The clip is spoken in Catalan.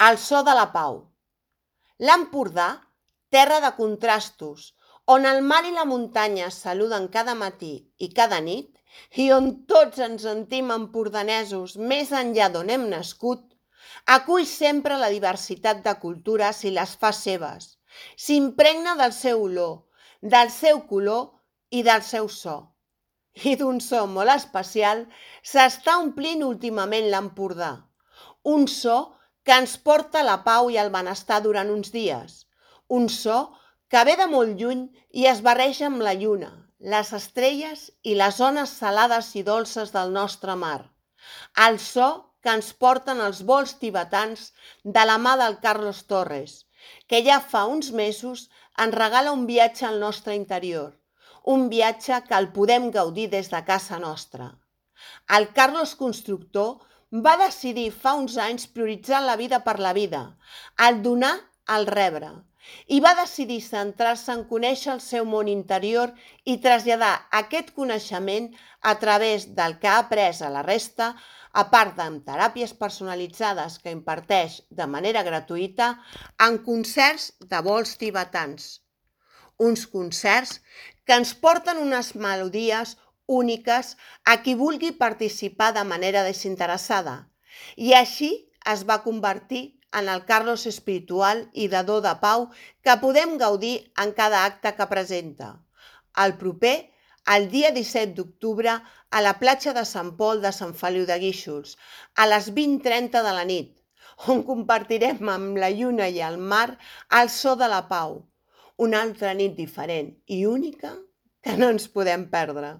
El so de la pau. L'Empordà, terra de contrastos, on el mar i la muntanya es saluden cada matí i cada nit, i on tots ens sentim empordanesos més enllà d'on hem nascut, acull sempre la diversitat de cultures i les fa seves. S'impregna del seu olor, del seu color i del seu so. I d'un so molt especial s'està omplint últimament l'Empordà. Un so que ens porta la pau i el benestar durant uns dies. Un so que ve de molt lluny i es barreja amb la lluna, les estrelles i les ones salades i dolces del nostre mar. El so que ens porten els vols tibetans de la mà del Carlos Torres, que ja fa uns mesos ens regala un viatge al nostre interior, un viatge que el podem gaudir des de casa nostra. El Carlos Constructor va decidir fa uns anys prioritzar la vida per la vida, el donar al rebre, i va decidir centrar-se en conèixer el seu món interior i traslladar aquest coneixement a través del que ha après a la resta, a part d'en teràpies personalitzades que imparteix de manera gratuïta, en concerts de vols tibetans. Uns concerts que ens porten unes melodies úniques a qui vulgui participar de manera desinteressada. I així es va convertir en el Carlos espiritual i dador de pau que podem gaudir en cada acte que presenta. El proper, el dia 17 d'octubre, a la platja de Sant Pol de Sant Feliu de Guíxols, a les 20:30 de la nit, on compartirem amb la lluna i el mar el so de la pau. Una altra nit diferent i única que no ens podem perdre.